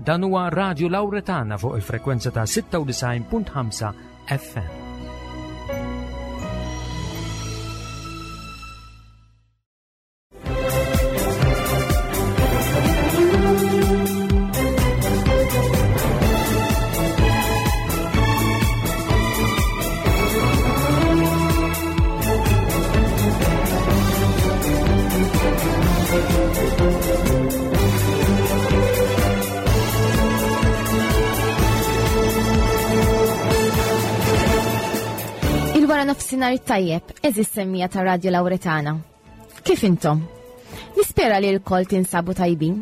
Dan huwa Radio Lauretana fuq il-frekwenza ta' 96.5 FM. Il-wara nofsinhar tajjeb, eżis semmija ta' Radio Lauretana. Kif intom? Nispera li l-kol tinsabu tajbin.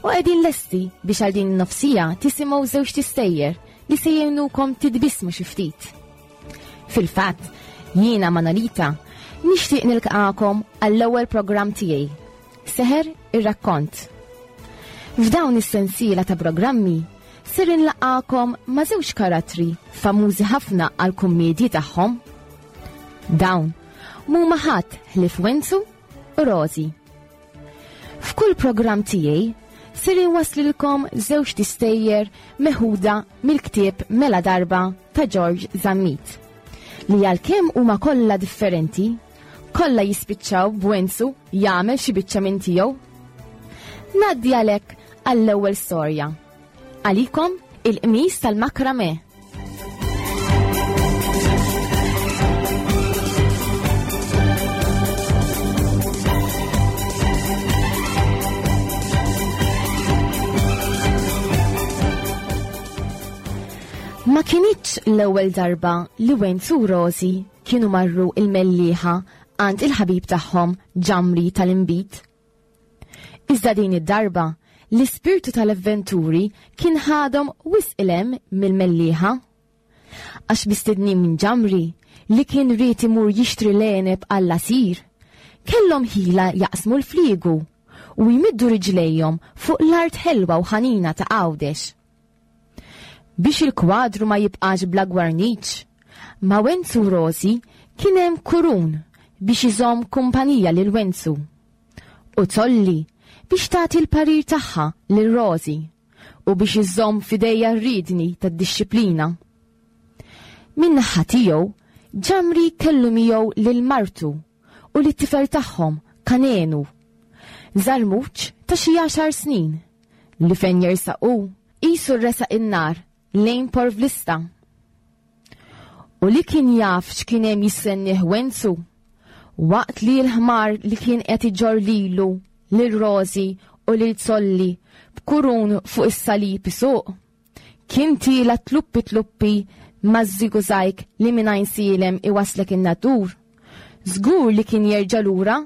U qegħdin lesti biex għal din nofsija tisimgħu żewġ tistejjer li se jgħinukom titbismu xi ftit. Fil-fatt, jiena Manolita nixtieq nilqakom għall-ewwel programm tiegħi, Seħer ir-rakkont. F'dawn is-sensiela ta' programmi ser inlaqakom ma' żewġ karattri famużi ħafna għal kummedji tagħhom. Dawn mhuma ħadd ħlief Wenzu u Rozi. F'kull programm tiegħi ser inwaslilkom żewġ tistejjer meħuda mill-ktieb Mela Darba ta' George Zammit li għalkemm huma kollha differenti, kollha jispiċċaw b'Wenzu jagħmel xi biċċa minn tiegħu. Ngħaddi għalhekk għall-ewwel storja. Għalikom il-qmis tal-makrame. Ma kinitx l-ewwel darba li Wenzu u Rosi kienu marru il-Mellieħa għand il-ħabib tagħhom Ġamri tal-Inbid. Iżda din id-darba, l-ispirtu tal-avventuri kien ħadhom wisq 'il hemm mill-Mellieħa. Għax mistednin minn Ġamri, li kien ried imur jixtri l-għeneb għall-għasir, kellhom ħila jaqsmu l-fliegu u jmiddu riġlejhom fuq l-art ħelwa u ħanina ta' Għawdex. Biex il-kwadru ma jibqax bla gwarniċ, ma' Wenzu u Rosi kien hemm Kurun biex iżomm kumpanija lil Wenzu. U Tolli biex tagħti l-parir tagħha lil Rosi u biex iżomm f'idejha r-riedni tad-dixxiplina. Min-naħa tiegħu, Ġamri kellu miegħu lil martu u lit-tifel tagħhom, Kanenu, żarmuċ ta' xi għaxar snin, li fejn jersaq hu, qisu resaq in-nar lejn porvlista. U li kien jaf x'kien hemm jistennieh Wenzu, waqt li l-ħmar li kien qed iġorr lilu, lil Rosi u lil Zolli b'kurun fuq is-salib isuq, kien tiela' tluppi tluppi maż-żigużajk li minn Għajnsielem iwasslek in-Nadur, żgur li kien jerġa' lura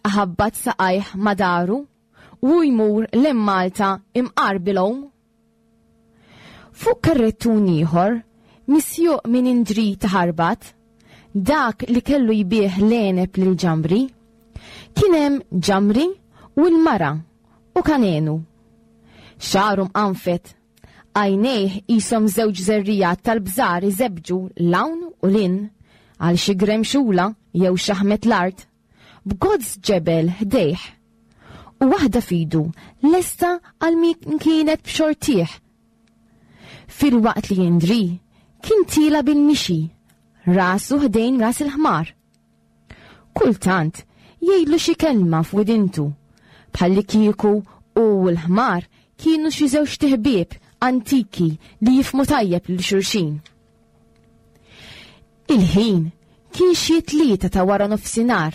iħabbat saqajh ma' daru u jmur 'l Malta imqar bil-għum. Fuq karrettun ieħor, misjuq minn Indri ta' Ħarbat, dak li kellu jbigħ l-għeneb lil Ġamri, kien hemm Ġamri u l-mara u Kanenu. Xagħru mqanfed, għajnejh qishom żewġ żerriegħat tal-bżar iżebbġu 'l hawn u 'l hinn għal xi gremxula jew xaħmet l-art. b'gozz ġebel ħdejh u waħda f'idu lesta għal min kienet b'xortih. Filwaqt li Indri kien tiela' bil-mixi, rasu ħdejn ras il-ħmar. Kultant jgħidlu xi kelma f'widintu, bħallikieku hu u l-ħmar kienu xi żewġt iħbieb antiki li jifhmu tajjeb lil xulxin. Il-ħin kien xi t-tlieta ta' wara nofsinhar.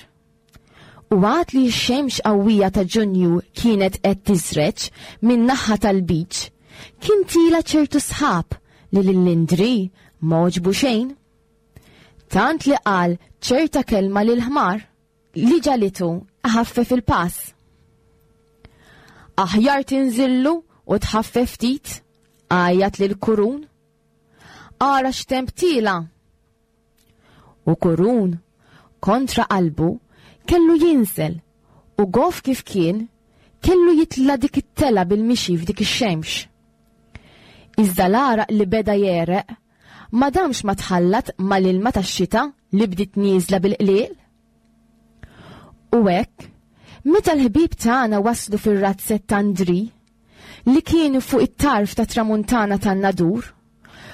U għad li x-xemx qawwija ta' Ġunju kienet qed tiżreġ min-naħa tal-beach, kien tiela' ċertu sħab li lil Indri ma għoġbu xejn. Tant li qal ċerta kelma lill-ħmar li ġagħlitu iħaffef il-pass. Aħjar tinżillu u tħaffef ftit, għajjat lil Kurun. Ara x'temp tiela'! U Kurun, kontra qalbu, kellu jinżel u goff kif kien, kellu jitla' dik it-telgħa bil-mixi f'dik ix-xemx. Iżda l-għaraq li beda jegħreq ma damx ma tħallat mal-ilma tax-xita li bdiet nieżla bil-qliel. U hekk, meta l-ħbieb tagħna waslu fir-razzett ta' Ndri, li kien fuq it-tarf ta' tramuntana tan-Nadur,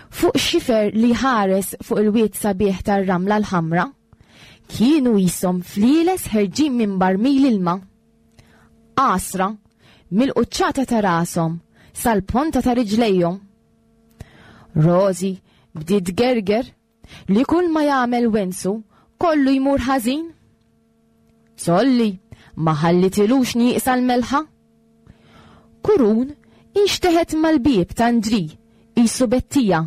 fuq xifer li jħares fuq il-wied sabiħ tar-Ramla l-Ħamra, kienu qishom flieles ħerġin minn barmil ilma. Għasra, mill-quċċata ta' rashom sal-ponta ta' riġlejhom. Rosie bdiet tgerger li kull ma jagħmel Wenzu kollu jmur ħażin. Zolli ma ħallitilux nieqsa l-melħa. Kurun inxteħet mal-bieb ta' Ndri qisu bettija.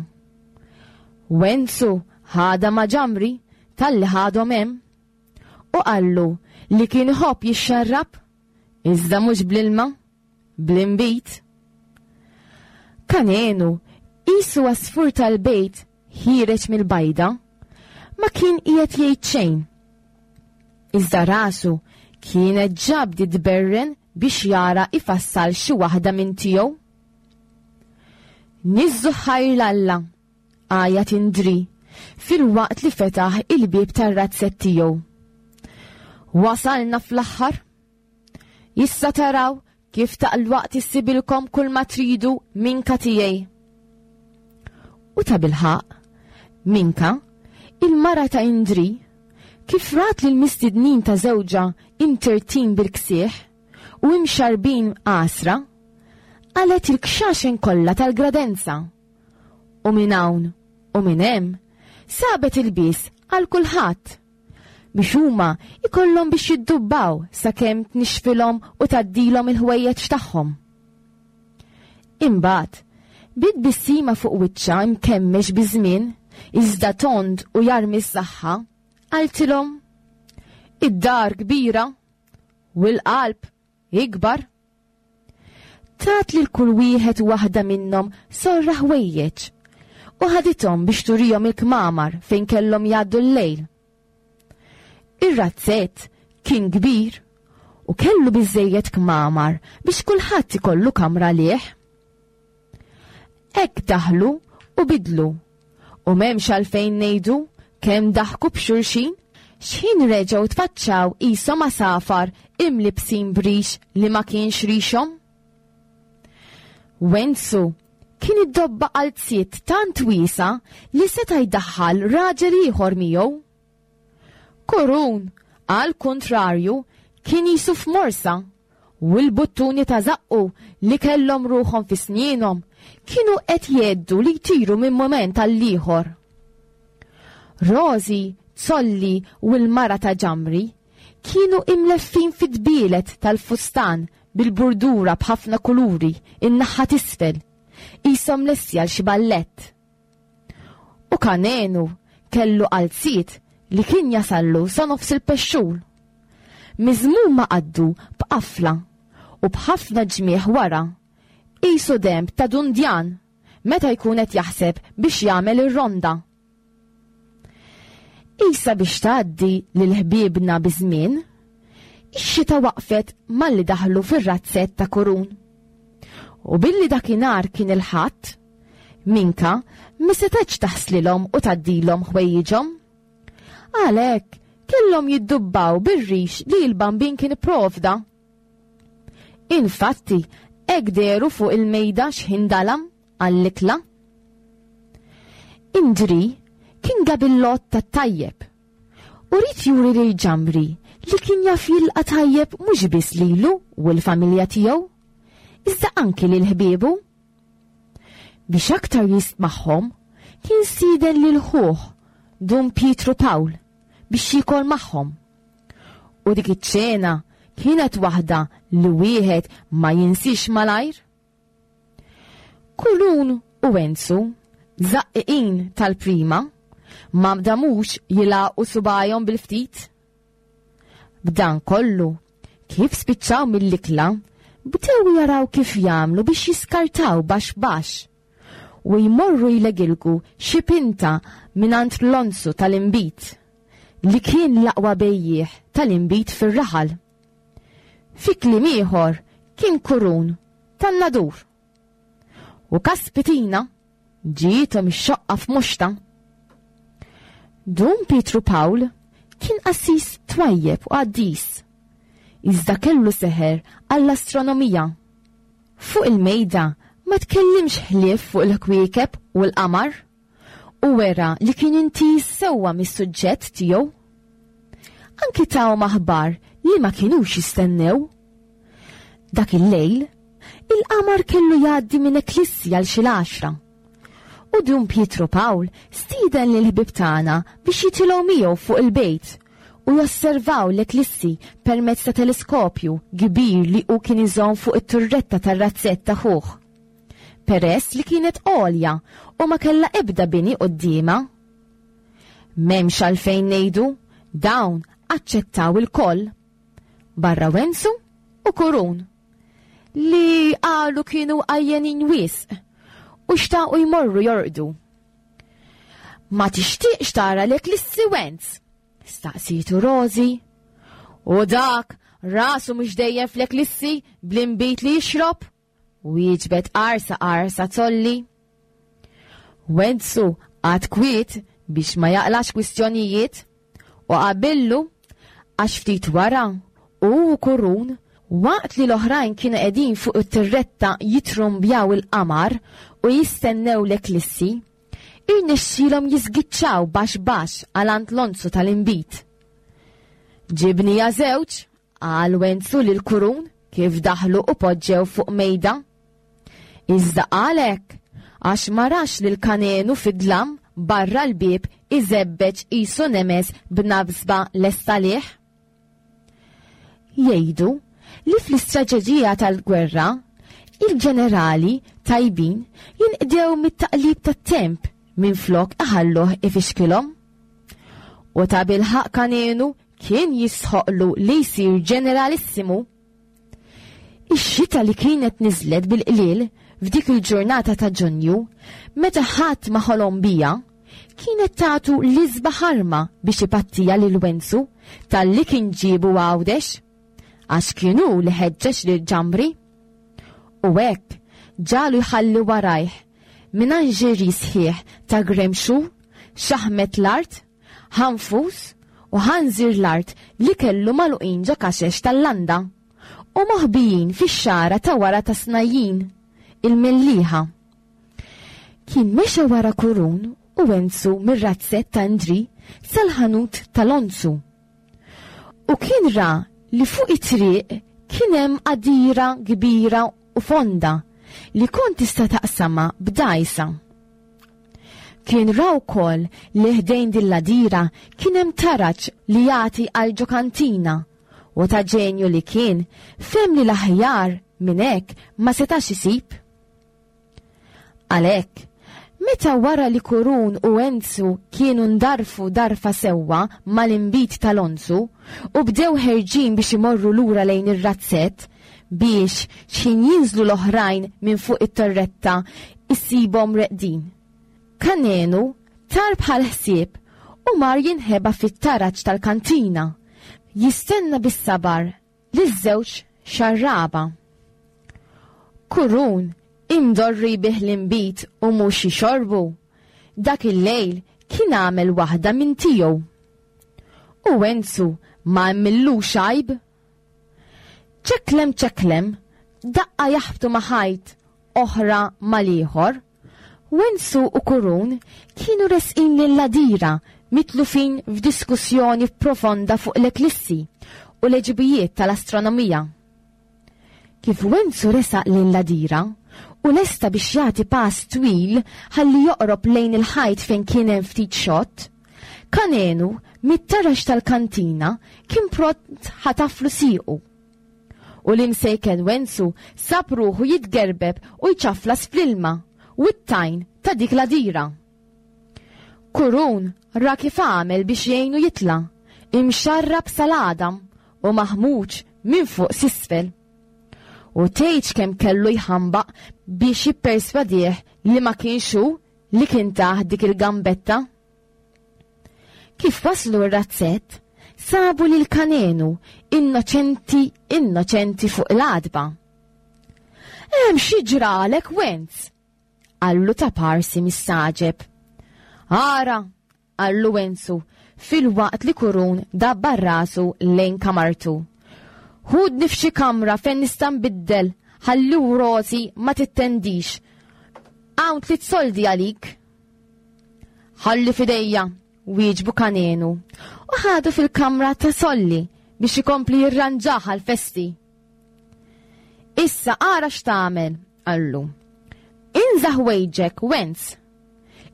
Wenzu ħadha ma' Ġamri talli ħadhom hemm u qallu li kien iħobb jixxarrab iżda mhux bl-ilma. Bl-inbid. Kanenu, qisu għasfur tal-bejt ħiereġ mill-bajda, ma kien qiegħed jgħid xejn. Iżda rasu kienet ġa bdiet tberren biex jara ifassal xi waħda minn tiegħu. Niżżu ħajr 'l Alla, għajat Indri filwaqt li fetaħ il-bieb tar-razzett tiegħu. Wasalna fl-aħħar! Issa taraw kif taqlwaqt issibilkom kull ma tridu minka tiegħi. U ta' bilħaq, minka, il-mara ta' Indri, kif rat lil mistednin ta' żewġha imtertin bil-ksieħ u imxarbin għasra, qalet il-kxaxen kollha tal-gradenza. U minn hawn u minn hemm sabet ilbies għal kulħadd. Biex huma jkollhom biex jiddubbaw sakemm tnixxfilhom u tgħaddilhom il-ħwejjeġ tagħhom. Imbagħad, bi tbissima fuq wiċċha mkemmex biż-żmien, iżda tond u jarmi s-saħħa, qaltilhom, Id-dar kbira u l-qalb ikbar. Tat lil kull wieħed u waħda minnhom sorra ħwejjeġ u ħadithom biex turihom il-kmamar fejn kellhom jgħaddu l-lejl. Ir-razzett kien kbir u kellu biżżejjed kmamar biex kulħadd ikollu kamra għalih. Hekk daħlu u bidlu u m'hemmx għalfejn ngħidu kemm daħku b'xulxin x'ħin reġgħu tfaċċaw qishom għasafar imlibbsin b'rix li ma kienx rixhom. Wenzu kien iddobba qalziet tant wiesgħa li seta' jdaħħal raġel ieħor miegħu. Kurun, għall-kuntrarju, kien qisu f'morsa u l-buttuni ta' żaqqu li kellhom ruħhom fi snienhom kienu qed jgħeddu li jtiru minn mument għall-ieħor. Rosie, Zolli u l-mara ta' Ġamri kienu imleffin fit-tbielet tal-fustan bil-burdura b'ħafna kuluri in-naħa t'isfel, qishom lesti għal xi ballett. U Kanenu kellu qalziet li kien jasallu sa nofs il-pexxul. Miżmum ma' qaddu b'qafla u b'ħafna ġmiegħ wara, qisu denb ta' dundjan meta jkun qed jaħseb biex jagħmel ir-ronda. Qisha biex tgħaddi lil ħbiebna biż-żmien, ix-xita waqfet malli daħlu fir-razzett ta' Kurun. U billi dakinhar kien il-Ħadd, Minka ma setgħetx taħslilhom u tgħaddilhom ħwejjiġhom. Għalhekk kellhom jiddubbaw bir-rix li l-Bambin kien ipprovda. Infatti, hekk dehru fuq il-mejda x'ħin dalam għall-ikla. Indri kien gabillott tat-tajjeb u ried juri lil Ġamri li kien jaf jilqa' tajjeb mhux biss lilu u l-familja tiegħu, iżda anki lil ħbiebu. Biex aktar jistmagħhom, kien stieden lil ħuh, Dun Pietru Pawl, biex jiekol magħhom. U dik iċ-ċena kienet waħda li wieħed ma jinsiex malajr. Kulun u Enzu, żaqqiqin tal-prima, ma damux jilagħqu subgħajhom bil-ftit. B'dan kollu, kif spiċċaw mill-ikla, bdew jaraw kif jagħmlu biex jiskartaw baxx baxx u jmorru jlegilgu xi pinta mingħand Lonzu tal-inbid, li kien l-aqwa bejjiegħ tal-inbid fir-raħal. Fi kliem ieħor kien kurun tan-nadur. U kaspitina ġiethom ix-xoqqa f'muxta. Dun Pietru Pawl kien qassis twajjeb u qaddis, iżda kellu seħer għall-astronomija. Fuq il-mejda ma tkellimx ħlief fuq il-kwiekeb u l-qamar u wera li kien intiż sewwa mis-suġġett tiegħu. Anki tahom aħbar li ma kinux jistennew. Dak il-lejl, il-qamar kellu jgħaddi minn eklissi għal xi l-għaxra. U Dun Pietru Pawl stieden lill-ħbieb tagħna biex jitilgħu miegħu fuq il-bejt u josservaw l-eklissi permezz ta' teleskopju kbir li hu kien iżomm fuq it-turretta tar-razzett ta' ħuh. Peress li kienet għolja u ma kellha ebda bini quddiemha. M'hemmx għalfejn ngħidu, dawn aċċettaw ilkoll. Barra Wenzu u Kurun. Li qalu kienu għajjenin wisq u xtaqu jmorru jorqdu. Ma tixtieqx tara l-eklissi Wenz? Staqsitu Rozi. U dak rasu mhux dejjem fl-eklissi bl-inbid li jixrob? Wieġbet qarsa qarsa tolli. Wenzu għad kwiet biex ma jaqlax kwistjonijiet u qabillu għax ftit wara hu u Kurun waqt li l-oħrajn kienu qegħdin fuq it-tirretta jitrumbjaw il-qamar u jistennew l-eklissi, irnexxielhom jiżgiċċaw baxx baxx għal għand Lonzu tal-inbid. Ġibnija żewġ, qal Wenzu lil Kurun kif daħlu u poġġew fuq mejda. Iżda qal hekk għax ma rax lil Kanenu fid-dlam barra l-bieb iżebbeġ qisu nemes b'nabsba lesta għalih. Jgħidu li fl-istraġeġija tal-gwerra, il-ġenerali tajbin jinqdew mit-taqlib tat-temp minflok iħalluh ifixkilhom. U tabilħaqq Kanenu kien jistħoqqlu li jsir ġeneralissimu. Ix-xita li kienet niżlet bil-qliel f'dik il-ġurnata ta' Ġunju, meta ħadd ma ħolom biha, kienet tagħtu l-isbaħ arma biex ipattiha lil Wenzu talli kien ġiebu Għawdex, għax kien hu li ħeġġeġ lil Ġambri. U hekk ġagħlu jħalli warajh minanġeri sħiħ ta' gremxu, xaħmet l-art, ħanfus u ħanżir l-art li kellu magħluqin ġo kaxex tal-landa u moħbijin fix-xagħra ta' wara ta' Snajjin, il-Mellieħa. Kien mexa wara Kurun u Wenzu mir-razzett ta' Indri sal-ħanut ta' Lonzu. U kien ra li fuq it-triq kien hemm għadira kbira u fonda li kont tista' taqsamha b'dgħajsa. Kien ra wkoll li ħdejn din l-għadira kien hemm taraġ li jagħti għal ġo kantina u ta' ġenju li kien fehem li l-aħjar minn hekk ma setax isib. Għalhekk, meta wara li Kurun u Enzu kienu ndarfu darfa sewwa mal-inbid ta' Lonzu u bdew ħerġin biex imorru lura lejn ir-razzett biex x'ħin jinżlu l-oħrajn minn fuq it-torretta issibhom reqdin. Kanenu tar bħal ħsieb u mar jinħeba fit-taraġ tal-kantina, jistenna bis-sabar liż-żewġ xarraba. Kurun imdorri bih l-inbid u mhux jixorbu, dak il-lejl kien għamel waħda minn tiegħu. U Enzu ma għamillux għajb. Ċeklem ċeklem, daqqa jaħbtu ma' ħajt, oħra mal-ieħor. Wenzu u Kurun kienu resqin lil Għadira mitlufin f'diskussjoni profonda fuq l-eklissi u l-għeġubijiet tal-astronomija. Kif Wenzu resaq lejn l-għadira u lesta biex jagħti pass twil ħalli joqrob lejn il-ħajt fejn kien hemm ftit xott, Kanenu mit-taraġ tal-kantina kien pront ħataflu siequ. U l-imsejken Wenzu sab ruħu jitgerbeb u jċaflas fl-ilma u t-tajn ta' dik l-għadira. Kurun ra kif għamel biex jgħinu jitla', imxarrab sal-għadam u maħmuġ minn fuq s'isfel. U tgħidx kemm kellu jħambaq biex jipperswadih li ma kienx hu li kien tah dik il-gambetta. Kif waslu r-razzett, sabu lil Kanenu innoċenti innoċenti fuq l-għatba. Hemm xi ġralek Wenz? Qallu ta' parsi mistagħġeb. Ara, qallu Wenzu, filwaqt li Kurun dabbar rasu lejn kamartu. Ħudni f'xi kamra fejn nista' nbiddel. Ħalli Rosi ma tittendix. Hawn tliet soldi għalik. Ħalli fidejja, wieġbu Kanenu, u ħadu fil-kamra ta' Solli biex ikompli jirranġaha l-festi. Issa ara x'tagħmel, qallu. Inża' ħwejġek, Wenz.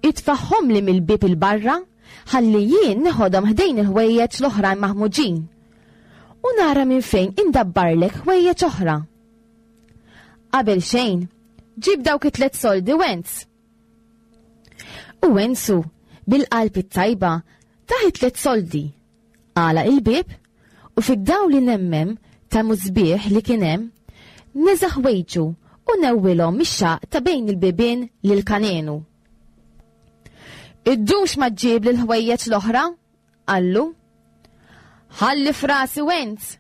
Itfagħhomli mill-bieb 'il barra ħalli jien neħodhom ħdejn il-ħwejjeġ l-oħrajn maħmuġin. U nara minn fejn indabbarlek ħwejjeġ oħra. Qabel xejn, ġib dawk it-tlet soldi Wenz. U Wenzu, bil-qalb it-tajba, tah it-tlet soldi. Għalaq il-bieb u fid-dawl li nemmem ta' musbieħ li kien hemm, neża' ħwejġu u newwilhom mix-xaqq ta' bejn il-bibien lil Kanenu. Iddumx ma ġġibli l-ħwejjeġ l-oħra, qallu. Ħalli f'rasi Wenz,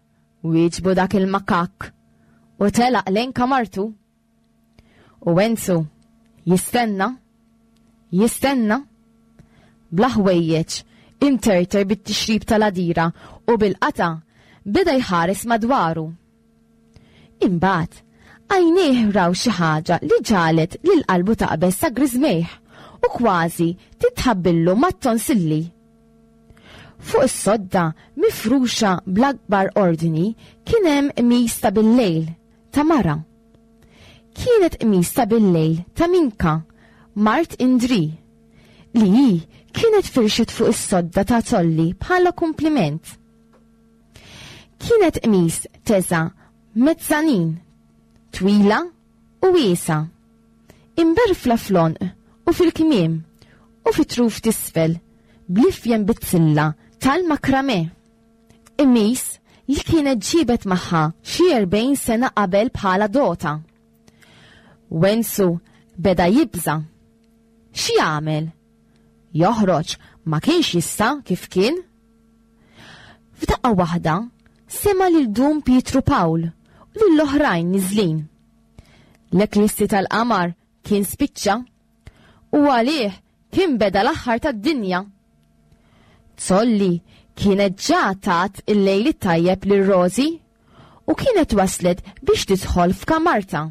wieġbu dak il-makakk u telaq lejn kamartu. U Enzu jistenna, jistenna, bla ħwejjeġ, imterter bit-tixrib tal-għadira u bil-qatgħa beda jħares madwaru. Imbagħad, għajnejh raw xi ħaġa li ġagħlet lil qalbu taqbeż sa griżmejh u kważi titħabbillu mat-tonsilli. Fuq is-sodda mifruxa bl-akbar ordni kien hemm qmis ta' billejl ta' mara. Kienet qmis ta' billejl ta' Minka, mart Indri, li hi kienet firxet fuq is-sodda ta' Tolli bħala kumpliment. Kienet qmis teża' mezzanin, twila u wiesgħa, imberfla fl-għonq u fil-kmiem u fit-truf t'isfel bl-ifjen bizzilla tal-makrame. Qmis li kienet ġiebet magħha xi 40 sena qabel bħala dota. Wenzu beda jibża'. X'jagħmel? Joħroġ ma kienx jista' kif kien. F'daqqa waħda sema' lil Dun Pietru Pawl u lill-oħrajn niżlin. L-eklissi tal-qamar kien spiċċa u għalih kien beda l-aħħar tad-dinja. Zolli kienet ġa tat il-lejl it-tajjeb lil Rosie u kienet waslet biex tidħol f'kamartha.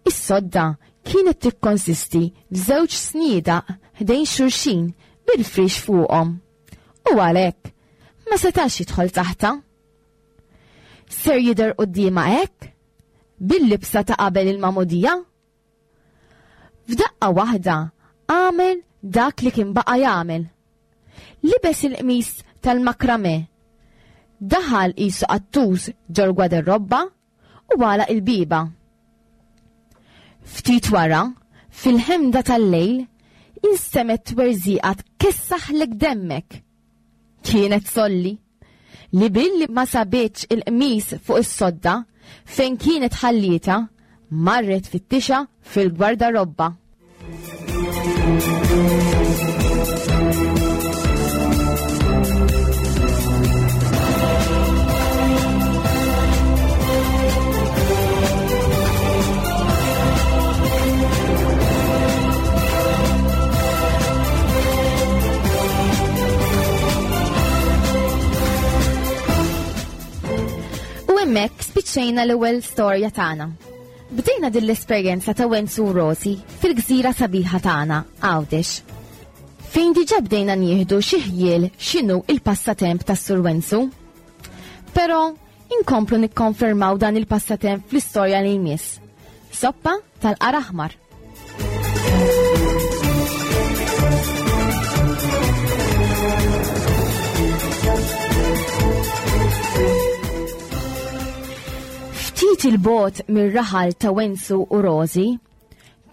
Is-sodda kienet tikkonsisti f'żewġ sniedaq ħdejn xulxin bil-friex fuqhom u għalhekk ma setax jidħol taħtha. Ser jidher quddiemha hekk? Bil-libsa ta' qabel il-magħmudija? F'daqqa waħda għamel dak li kien baqa' jagħmel. Libes il-qmis tal-makrame, daħal qisu qattus ġol-gwaderrobba u għalaq il-bieba. Ftit wara, fil-ħemda tal-lejl, instemgħet twerżiqa tkessaħlek demmek. Kienet Solli, li billi ma sabitx il-qmis fuq is-sodda fejn kienet ħallietha, marret tfittixha fil-gwardarobba. U hemmhekk spiċċejna l-ewwel storja tagħna. Bdejna din l-esperjenza ta' Wenzu u Rosie fil-gżira sabiħa tagħna, Għawdex. Fejn diġà bdejna nieħdu xi ħjiel x'inhu il-passatemp tas-Sur Wenzu. Però inkomplu nikkonfermaw dan il-passatemp fl-istorja li jmiss. Soppa tal-qar aħmar. Ftit il-bogħod mir-raħal ta' Wenzu u Rożi,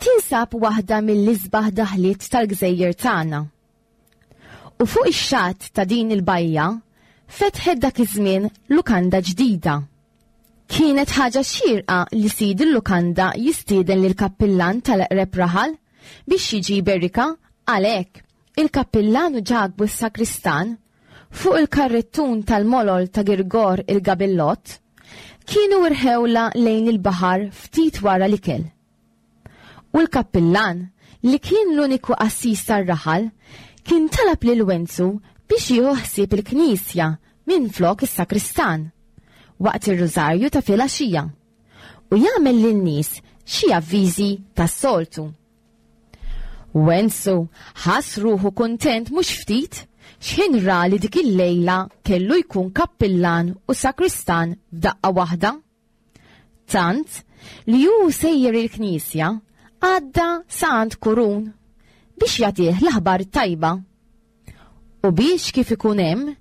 tinsab waħda mill-isbaħ daħliet tal-gżejjer tagħna. U fuq ix-xatt ta' din il-bajja fetħet dak iż-żmien lukanda ġdida. Kienet ħaġa xierqa li sid il-lukanda jistieden lill-kappillan tal-eqreb raħal biex jiġi jberikha għalhekk il-kappillan u Ġakbu s-sakristan fuq il-karrettun tal-molol ta' Girgor il-Gabillott kienu rħewlha lejn il-baħar ftit wara l-ikel. U l-kappillan, li kien l-uniku qassis tar-raħal, kien talab lil Wenzu biex jieħu ħsieb il-knisja minflok is-sakristan, waqt ir-rużarju ta' filgħaxija. u jagħmel lin-nies xi avviżi tas-soltu. Wenzu ħass ruħu kuntent mhux ftit x'ħin ra li dik il-lejla kellu jkun kappillan u sakristan f'daqqa waħda. Tant li hu sejjer il-knisja għadda sa għand Kurun biex jagħtih l-aħbar tajba. U biex kif ikun hemm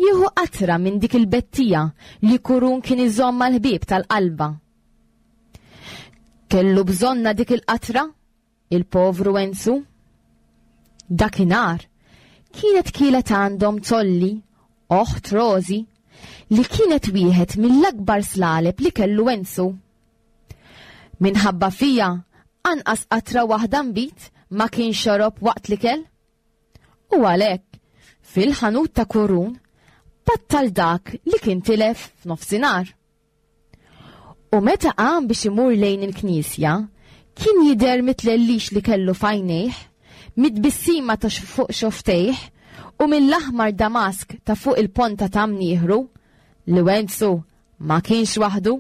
jieħu qatra minn dik il-bettija li Kurun kien iżomm mal-ħbieb tal-qalba. Kellu bżonna dik il-qatra, il-povru Enzu. Dakinhar kienet kielet għandhom Tolli, oħt Rosi, li kienet wieħed mill-akbar slaleb li kellu Enzu. Minħabba fija, anqas qatra waħda nbid ma kien xorob waqt l-ikel. U għalhekk, fil-ħanut ta' Kurun, battal dak li kien tilef f'nofsinhar. U meta qam biex imur lejn il-knisja, kien jidher mit-tlellix li kellu f'għajnejh, mit-tbissima ta' fuq xofftejh u mill-aħmar damask ta' fuq il-ponta ta' mnieħru, li Wenzu ma kienx waħdu.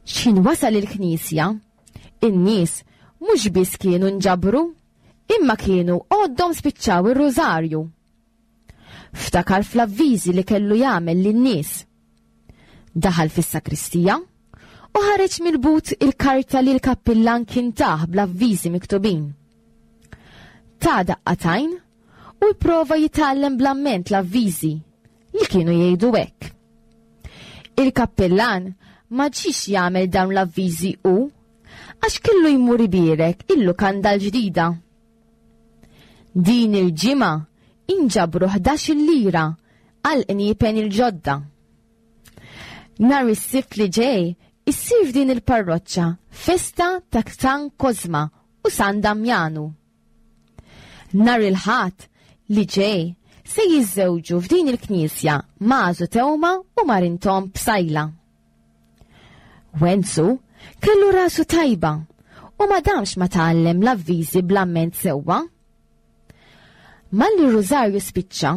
X'ħin wasal il-knisja, in-nies mhux biss kienu nġabru, imma kienu għoddhom spiċċaw ir-rużarju. Ftakar fl-avviżi li kellu jagħmel lin-nies. Daħal fis-sakristija u ħareġ mill-but il-karta li l-kappillan kien tah bl-avviżi miktubin. Ta daqqatajn u jprova jitgħallem bl-amment l-avviżi li kienu jgħidu hekk. Il-kappillan ma ġiex jagħmel dawn l-avviżi hu għax kellu jmur ibierek il-lukanda l-ġdida. Din il-ġimgħa inġabru 11 lira għal qniepen il-ġodda. Nhar is-Sibt li ġej issir f'din il-parroċċa festa ta' San Kozma u San Damjanu. Nhar il-Ħadd li ġej se jiżżewġu f'din il-knisja Mażu Tewma u Marintom Psajla. Wenzu kellu rasu tajba u ma damx ma tgħallem l-avviżi bl-amment sewwa. Malli r-rużarju spiċċa,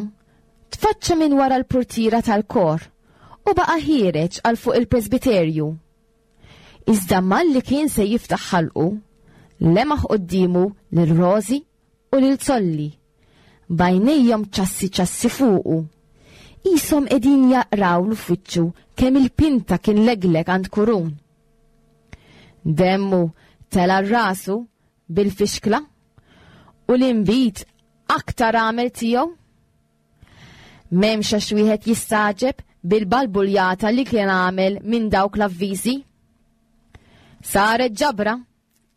tfaċċa minn wara l-purtiera tal-kor u baqa' ħiereġ għal fuq il-presbiterju. Iżda malli kien se jiftaħ ħalqu, lemaħ quddiemu lil Rosie u lil Zolli, b'għajnejhom ċassi ċassi fuqu. Qishom qegħdin jaqrawlu f'wiċċu kemm il-pinta kien legleg għand Kurun. Demmu tela' rasu bil-fixkla u l-inbid aktar għamel tiegħu. M'hemmx għax wieħed jistagħġeb bil-balbuljata li kien għamel minn dawk l-avviżi. Saret ġabra,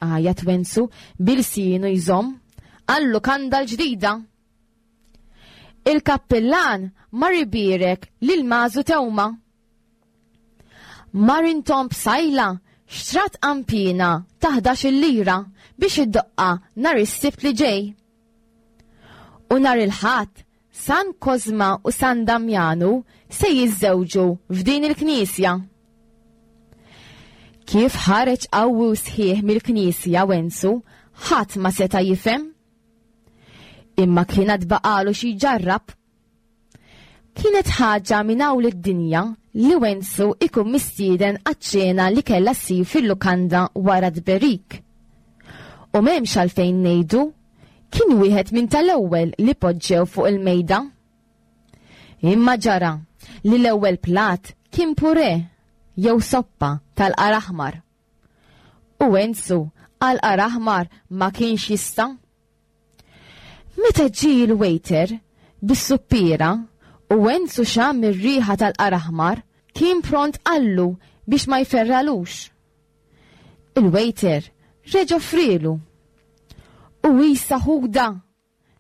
għajat Wenzu bil-sienu jżomm, għal-lukanda l-ġdida. Il-kappillan mar ibierek lil Mażu Tewma. Marintom Psajla xtrat qanpiena ta' 11-il lira biex iddoqqha nhar is-Sibt li ġej. U nhar il-Ħadd, San Kozma u San Damjanu se jiżżewġu f'din il-knisja. Kif ħareġ qawwi u sħiħ mill-knisja Wenzu, ħadd ma seta' jifhem. Imma kien għad baqalu xi jġarrab. Kienet ħaġa minn hawn id-dinja li Wenzu ikun mistieden għaċ-ċena li kellha ssir fil-lukanda wara tberik. U m'hemmx għalfejn ngħidu, kien wieħed minn tal-ewwel li poġġew fuq il-mejda. Imma ġara li l-ewwel plat kien purè jew soppa tal-qar aħmar. U Wenzu għal qar aħmar ma kienx jista'. Meta ġie l-waiter bis-suppiera u Wenzu xamm ir-riħa tal-qar aħmar, kien pront qallu biex ma jferralux. Il-waiter reġa' offrielu. U isa ħuda,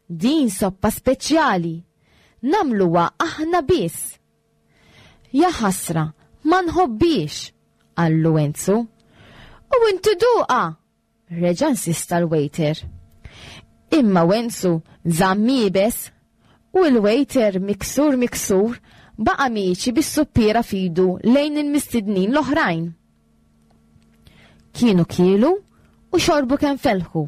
din soppa speċjali, nagħmluha aħna biss. Ja ħasra, ma nħobbhiex, qallu Enzu. U inti duqha, reġa' insista l-waiter. Imma Wenzu żamm iebes u l-waiter miksur miksur baqa' miexi bis-suppiera f'idu lejn il-mistednin l-oħrajn. Kienu kielu u xorbu kemm felħu.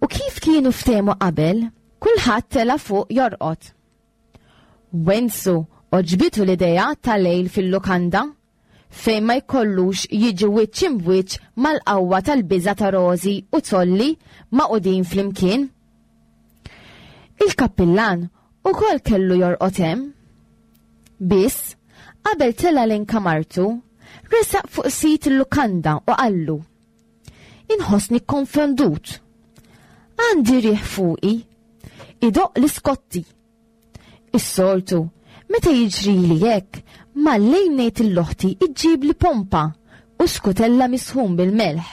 U kif kienu ftehmu qabel, kulħadd tela' fuq jorqod. Wenzu għoġbitu l-idea ta' lejl fil-lukanda. fejn ma jkollux jiġi wiċċ imbwiċċ mal-qawwa tal-biża' ta' Rożi u Zolli magħqudin flimkien. Il-kappillan ukoll kellu jorqod hemm. Biss, qabel tela' lejn kamartu, resaq fuq sid il-lukanda u qallu, Inħossni kkonfondut. Għandi riħ fuqi. Idoqq l-iskotti. Is-soltu, meta jiġrili hekk, mal-lejl ngħid 'l oħti ġġibli pompa u skutella misħun bil-melħ.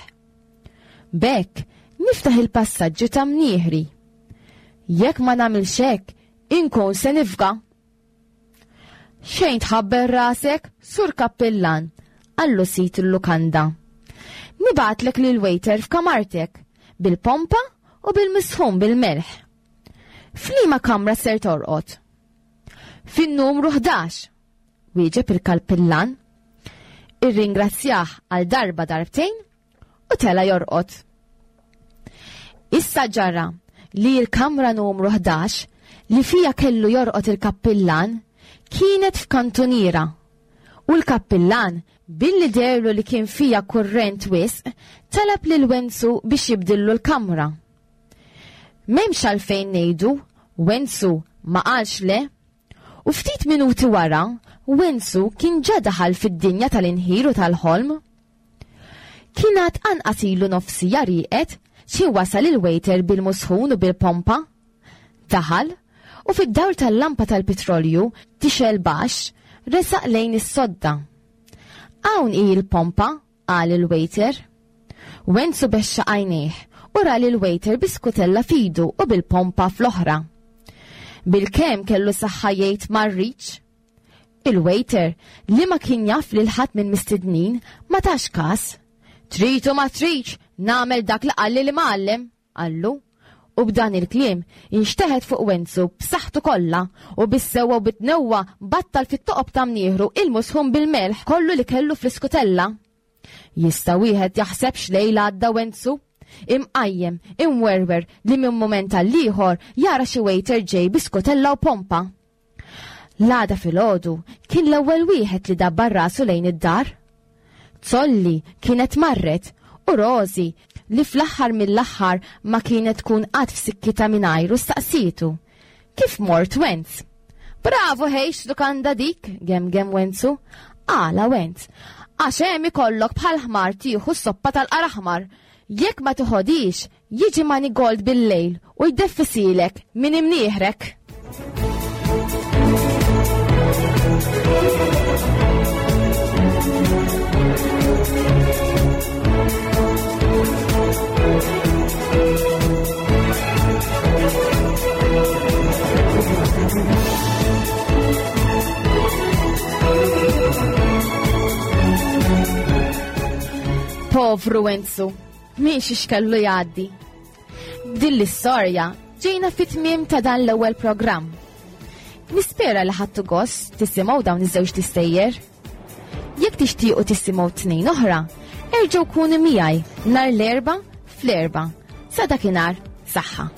B'hekk niftaħ il-passaġġi ta' mnieħri. Jekk ma nagħmilx hekk, inkun se nifga. Xejn tħabbel rasek, Sur Kappillan, qallu sid il-lukanda. Nibgħatlek lil waiter f'kamartek, bil-pompa u bil-misħun bil-melħ. F'liema kamra ser torqod? Fin-numru 11, wieġeb il-kappillan. Irringrazzjah għal darba darbtejn u tela jorqod. Issa ġara li l-kamra numru 11 li fija kellu jorqod il-kappillan kienet f'kantuniera u l-kappillan billi derlu li kien fija kurrent wisq talab lil Wenzu biex jibdillu l-kamra. M'hemmx għalfejn ngħidu, Wenzu ma qalx le. U ftit minuti wara, Wenzu kien ġa daħal fid-dinja tal-inħir u tal-ħolm. Kien għad anqas ilu nofsija rieqed xi wasal il-waiter bil-musħun u bil-pompa. Daħal, u fid-dawl tal-lampa tal-pitrolju tixgħel baxx, resaq lejn is-sodda. Hawn hi l-pompa, qal il-waiter. Wenzu bexxaq għajnejh u ra lill-waiter bi skutella f'idu u bil-pompa fl-oħra. Bilkemm kellu saħħa jgħid ma rridx. Il-waiter, li ma kien jaf lil ħadd mill-mistednin, ma tax kas. Trid u ma tridx, nagħmel dak li qalli l-imgħallem, qallu. U b'dan il-kliem inxteħet fuq Wenzu b'saħħtu kollha u bis-sewwa u bit-tnewwa battal fit-toqob ta' mnieħru il-musħun bil-melħ kollu li kellu fl-iskutella. Jista' wieħed jaħseb x'lejl għadda Wenzu? Imqajjem, imwerwer li minn mument għall-ieħor jara xi waiter ġej bi skutella u pompa. L-għada filgħodu kien l-ewwel wieħed li dabbar rasu lejn id-dar. Zolli kienet marret u Rożi li fl-aħħar mill-aħħar ma kienet tkun qatt f'sikkitha mingħajru staqsietu. Kif mort Wenz? Bravu ħejx lukanda dik, gemgem Wenzu. Għala Wenz? Għax hemm ikollok bħal ħmar tieħu s-soppa tal-qaraħmar. Jekk ma tiħodix, Jiġi Manigold bil-lejl u jdeffisielek minn imnieħrek. Povru Enzu. Minn xiex kellu jgħaddi. B'din l-istorja ġejna fit-tmiem ta' dan l-ewwel programm. Nispera li ħadtu gost tisimgħu dawn iż-żewġ tistejjer. Jekk tixtiequ tisimgħu tnejn oħra, erġgħu kunu miegħi nhar l-erba' fl-erba' Sa dakinhar, saħħa.